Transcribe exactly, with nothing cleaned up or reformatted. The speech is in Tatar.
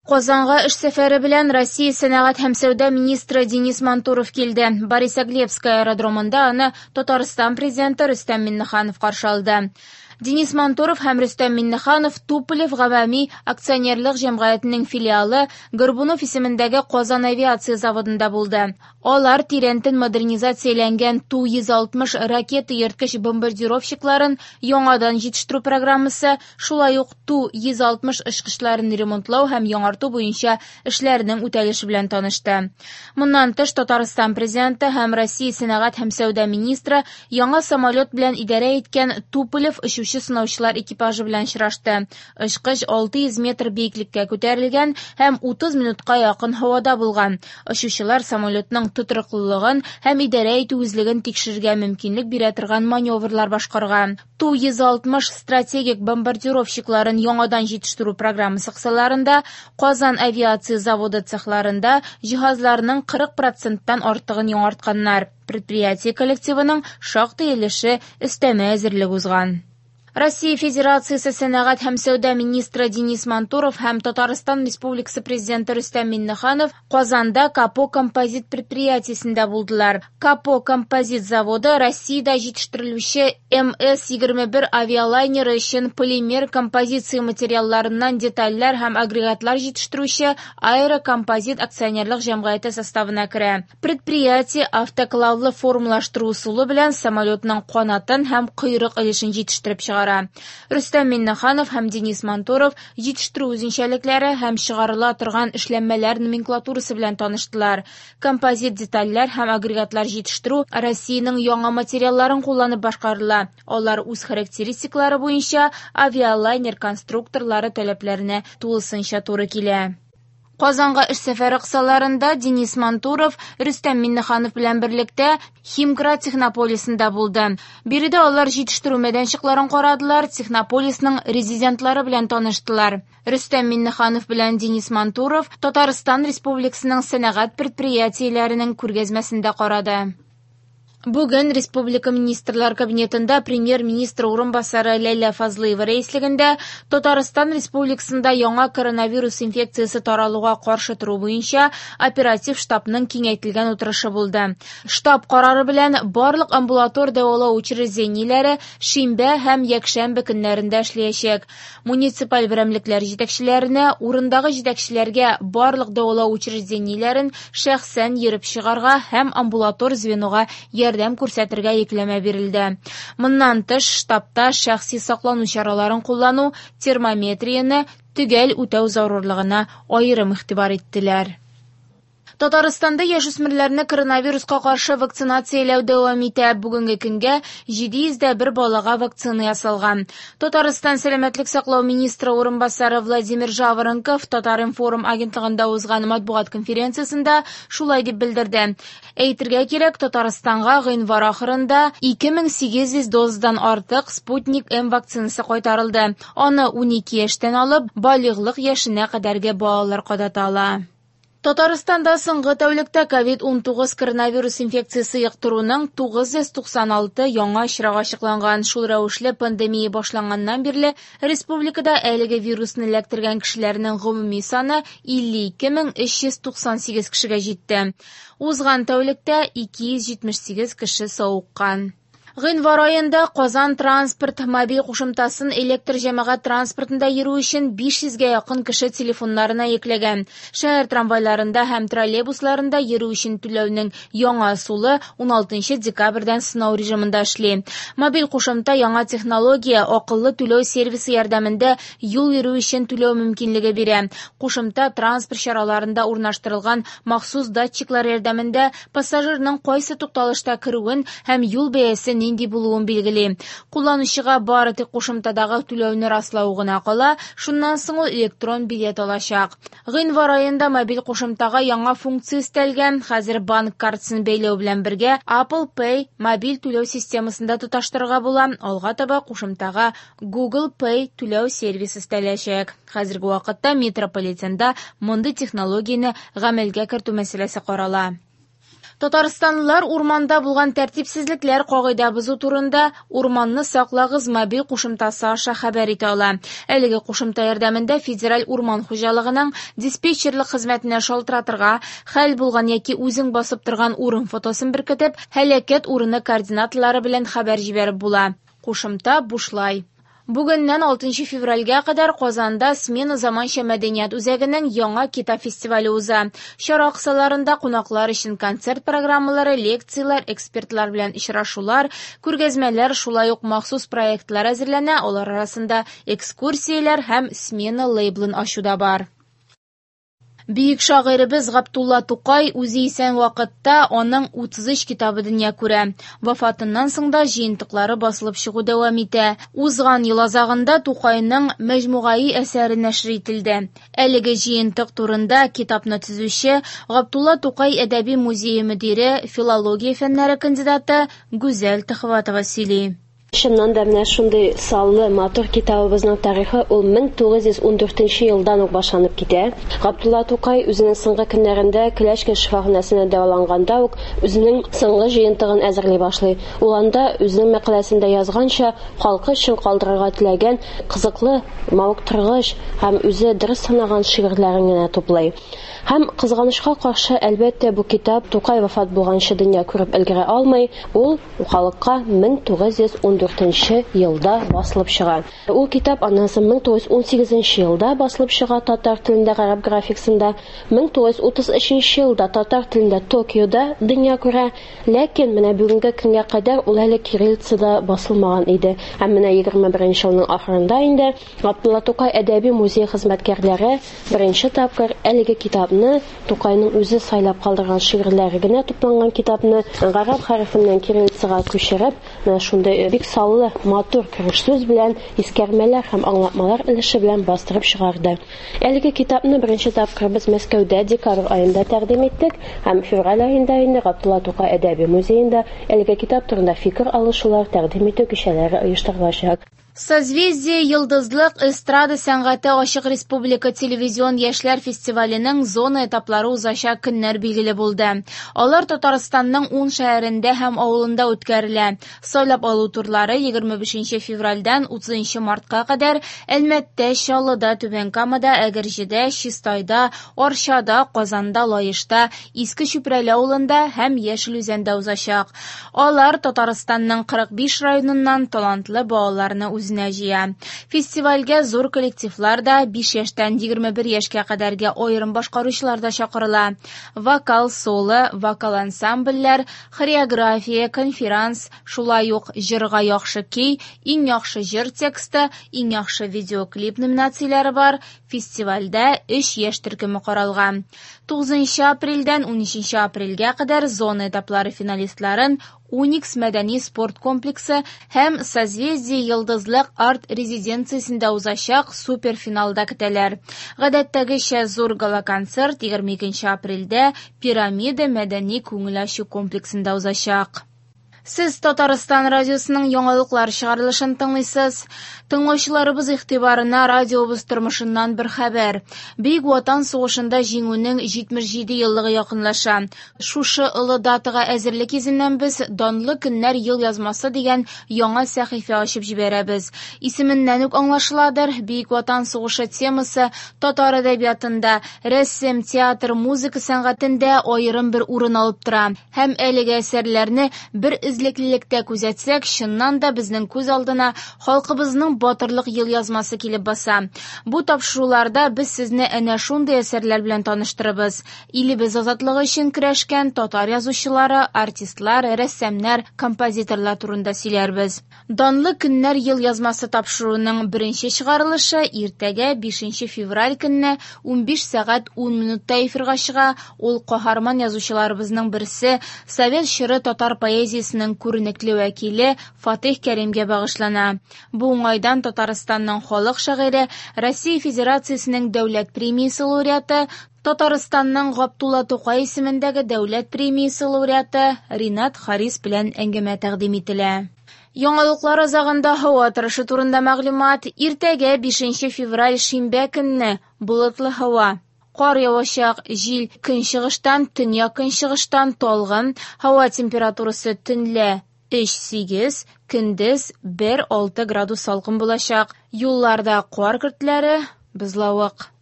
Казанга эш сәфәре белән Россия сәнәгать һәм сәүдә министры Денис Мантуров килде. Борисоглебская аэродромында аны Татарстан президенты Рөстәм Миңнеханов каршы алды. Денис Мантуров һәм Рөстәм Миңнеханов Туполев гомуми акционерлык җәмгыятенең филиалы Горбунов исемендәге Казан авиация заводында булды. Алар тирәнтен модернизацияләнгән Ту йөз алтмыш ракета йөрткеч бомбардировщикларын яңадан җитештерү программасы, шулай ук Ту йөз алтмыш очкычларын ремонтлау һәм яңарту буенча эшләрнең үтәлеше белән танышты. Моннан тыш Татарстан президенты һәм Россия сәнәгать һәм сәүдә министры яңа самолет белән идарә иткән Туполев очучы сынаучылар экипажы белән очрашты. Очкыч алты йөз метр биеклеккә күтәрелгән һәм утыз минутка якын һавада булган. Очучылар самолетның тотрыклылыгын һәм идарә итү үзлеген тикшерергә мөмкинлек бирә торган маневрлар башкарган. Ту йөз алтмыш стратегик бомбардировщикларын яңадан җитештерү программасы кысаларында Казан авиация заводы цехларында җиһазларның кырык проценттан артыгын яңартканнар. Предприятие коллективының шактый өлеше өстәмә әзерлек узган. Россия Федерациясе сәнәгать һәм сәүдә министры Денис Мантуров һәм Татарстан Республикасы президенты Рөстәм Миңнеханов Казанда Капо композит предприятиесендә булдылар. Капо композит заводы Россиядә җитештерелүче эм эс егерме бер авиалайнеры өчен полимер композиция материалларыннан детальләр һәм агрегатлар җитештерүче Аэрокомпозит акционерлык җәмгыяте составына керә. Предприятие автоклавлы формалаштыру ысулы белән самолетның канатын һәм койрык өлешен җитештереп чыгара. Рөстәм Миңнеханов һәм Денис Мантуров җитештерү үзенчәлекләре һәм чыгарыла торган эшләнмәләр номенклатурасы белән таныштылар. Композит детальләр һәм агрегатлар җитештерү Россиянең яңа материалларын кулланып башкарыла. Алар үз характеристикалары буенча авиалайнер конструкторлары таләпләренә тулысынча туры килә. Казанга эш сәфәре кысаларында Денис Мантуров Рөстәм Миңнеханов белән берлектә Химград технополисында булды. Биредә алар җитештерү мәйданчыкларын карадылар, технополисның резидентлары белән таныштылар. Рөстәм Миңнеханов белән Денис Мантуров Татарстан Республикасының сәнәгать предприятиеләренең күргәзмәсендә карады. Бүген Республика Министрлар Кабинетында премьер-министр урынбасары Ләйлә Фазлыева рәислегендә Татарстан Республикасында яңа коронавирус инфекциясе таралуга каршы тору буенча оператив штабның киңәйтелгән утырышы булды. Штаб карары белән барлык амбулатор дәвалау учреждениеләре шимбә һәм якшәмбе көннәрендә эшләячәк. Муниципаль берәмлекләр җитәкчеләренә, урындагы җитәкчеләргә барлык дәвалау учреждениеләрен шәхсән йөреп чыгарга һәм амбулатор звенога ярдәм күрсәтергә йөкләмә бирелде. Моннан тыш штабта шәхси саклану чараларын куллану, термометрияне төгәл үтәү зарурлыгына аерым игътибар иттеләр. Татарстанда яшүсмерләрне коронавируска каршы вакцинацияләү дәвам итә. Бүгенге көнгә җиде йөз дә бер балага вакцина ясалган. Татарстан сәламәтлек саклау министры урынбасары Владимир Жаворонков Татар-информ агентлыгында узган матбугат конференциясендә шулай дип белдерде. Әйтергә кирәк, Татарстанга гыйнвар ахырында ике мең сигез йөз дозадан артык Спутник М вакцинасы кайтарылды. Аны унике яшьтән алып балигълык яшенә кадәрге балалар кадата ала. Татарстанда соңгы тәүлектә ковид унтугыз коронавирус инфекциясе йоктыруның тугыз йөз туксан алты яңа очрагы ачыкланган. Шул рәвешле пандемия башланганнан бирле республикада әлеге вирусны эләктергән кешеләрнең гомуми саны илле ике мең өч йөз туксан сигез кешегә җитте. Узган тәүлектә ике йөз җитмеш сигез кеше савыккан. Гыйнвар аенда Казан транспорт мобиль кушымтасын электр җәмәгать транспортында йөрү өчен биш йөзгә якын кеше телефоннарына йөкләгән. Шәһәр трамвайларында һәм троллейбусларында йөрү өчен түләүнең яңа ысулы уналтынчы декабрьдән сынау режимында эшли. Мобиль кушымта яңа технология, акыллы түләү сервисы ярдәмендә юл йөрү өчен түләү мөмкинлеге бирә. Кушымта транспорт чараларында урнаштырылган махсус датчиклар ярдәмендә пассажирның кайсы тукталышта керүен һәм юл бәясе нинди булуын билгели. Кулланучыга бары тик кушымтадагы түләүне раслау гына кала, шуннан соң ул электрон билет алачак. Гыйнвар аенда мобиль кушымтага яңа функция өстәлгән. Хәзер банк картасын бәйләү белән бергә Apple Pay мобиль түләү системасында тоташтырырга була. Алга таба кушымтага Google Pay түләү сервисы өстәләчәк. Хәзерге вакытта метрополитенда мондый технологияне гамәлгә кертү мәсьәләсе карала. Татарстанлылар урманда булган тәртипсезлекләр кагыйдә бозу турында Урманны саклагыз мобиль кушымтасы аша хәбәр итә ала. Әлеге кушымта ярдәмендә Федераль урман хуҗалыгының диспетчерлык хезмәтенә шалтыратырга, хәл булган яки үзең басып торган урын фотосын беркетеп, һәлакәт урыны координаталары белән хәбәр җибәреп була. Кушымта бушлай. Бүгеннән алтынчы февральгә кадәр Казанда Смена заманча мәдәният үзәгенең яңа китап фестивале уза. Чара кысаларында кунаклар өчен концерт программалары, лекцияләр, экспертлар белән очрашулар, күргәзмәләр, шулай ук махсус проектлар әзерләнә, алар арасында экскурсияләр һәм Смена лейблын ачу да бар. Бөек шагыйребез Габдулла Тукай үзе исән вакытта аның утыз өч китабы дөнья күрә. Вафатыннан соң да җыентыклары басылып чыгу дәвам итә. Узган ел азагында Тукайның мәҗмугаи әсәре нәшер ителде. Әлеге җыентык турында китапны төзүче Габдулла Тукай әдәби музее мөдире, филология фәннәре кандидаты Гүзәл Төхвәтова сөйли. Чыннан да менә шундый саллы матур китабыбызның тарихы ул мең тугыз йөз ун дүртенче елдан ук башланып китә. Габдулла Тукай үзенең соңгы көннәрендә Клячкин шифаханәсендә дәваланганда ук үзенең соңгы җыентыгын әзерли башлый. Ул анда үзенең мәкаләсендә язганча, халкы өчен калдырырга теләгән кызыклы, мавыктыргыч һәм үзе дөрес санаган шигырьләрен генә туплый. Һәм кызганычка каршы, әлбәттә, бу китап Тукай вафат булганчы дөнья күреп өлгерә алмый. Ул халыкка мең тугыз йөз ун дүртенче елда басылып чыга. Ул китап аннан соң мең тугыз йөз ун сигезенче елда басылып чыга татар телендә гарәп графикасында, мең тугыз йөз утыз өченче елда татар телендә Токиода дөнья күрә. Ләкин менә бүгенге көнгә кадәр ул әле кириллицада басылмаган иде. Һәм менә егерме беренче елның ахырында инде Габдулла Тукай әдәби музей хезмәткәрләре беренче тапкыр әлеге китапны, Тукайның үзе сайлап калдырган шигырьләре генә тупланган китапны гарәп хәрефеннән кириллицага күчереп, менә шундый бик саллы, матур кереш сүз белән, искәрмәләр һәм аңлатмалар өлеше белән бастырып чыгарды. Әлеге китапны беренче тапкыр без Мәскәүдә декабрь аенда тәкъдим иттек һәм февраль аенда инде Габдулла Тукай әдәби музеенда әлеге китап турында фикер алышулар тәкъдим итү кичәләре оештырылачак. Созвездие Йолдызлык эстрада сәнгате ачык республика телевизион яшьләр фестиваленең зона этаплары узачак көннәр билгеле булды. Алар Татарстанның ун шәһәрендә һәм авылында үткәрелә. Сайлап алу турлары егерме бишенче февральдән утызынчы мартка кадәр Әлмәттә, Чаллыда, Түбән Камада, Әгерҗедә, Чистайда, Арчада, Казанда, Лаешта, Иске Чүпрәле авылында һәм Яшел Үзәндә узачак. Алар Татарстанның кырык биш районыннан талантлы балаларны үз үзенә җыя. Фестивальгә зур коллективлар да, биш яшьтән егерме бер яшькә кадәрге аерым башкаручылар да чакырыла. Вокал соло, вокал ансамбльләр, хореография, конферанс, шулай ук җырга яхшы көй, иң яхшы җыр тексты, иң яхшы видеоклип номинацияләре бар. Фестивальдә өч яшь төркеме каралган. Тугызынчы апрельдән унөченче апрельгә кадәр зона этаплары финалистларын Уникс мәдәни спорт комплексы һәм Созвездие Йолдызлык арт резиденциясендә узачак суперфиналда көтәләр. Гадәттәгечә зур гала-концерт егерме икенче апрельдә Пирамида мәдәни күңел ачу комплексында узачак. Сез Татарстан радиосының яңалыклар чыгарылышын тыңлыйсыз. Тыңлаучыларыбыз игътибарына радиобыз тормышыннан бер хәбәр. Бөек Ватан сугышында җиңүнең җитмеш җиде еллыгы якынлаша. Шушы олы датага әзерлек йөзеннән без Данлы көннәр ел язмасы дигән яңа сәхифә ачып җибәрәбез. Исеменнән үк аңлашыладыр, Бөек Ватан сугышы темасы татар әдәбиятында, рәсем, театр, музыка сәнгатендә аерым бер урын алып тора. Һәм әлеге әсәрләрне бер эзлеклелектә күзәтсәк, чыннан да безнең күз алдына халкыбызның батырлык ел язмасы килеп баса. Бу тапшыруларда без сезне әнә шундый әсәрләр белән таныштырабыз. Илебез азатлыгы өчен көрәшкән татар язучылары, артистлар, рәссамнар, композиторлар турында сөйләрбез. Данлы көннәр ел язмасы тапшыруының беренче чыгарылышы иртәгә бишенче февраль көнне унбиш сәгать ун минутта эфирга чыга. Ул каһарман язучыларыбызның берсе, совет чоры татар поэзиясенең күренекле вәкиле Фатих Кәримгә багышлана. Бу уңайдан Татарстанның халык шагыйре, Россия Федерациясенең дәүләт премиясе лауреаты, Татарстанның Габдулла Тукай исемендәге дәүләт премиясе лауреаты Ринат Харис белән әңгәмә тәкъдим ителә. Яңалыклар азагында һава торышы турында мәгълүмат. Иртәгә бишенче февраль шимбә көнне болытлы һава. Кар явачак, җил көнчыгыштан, төньяк-көнчыгыштан талгын. Һава температурасы төнлә өч сигез, көндез бер алты градус салкын булачак. Юлларда кар көртләре, бозлавык.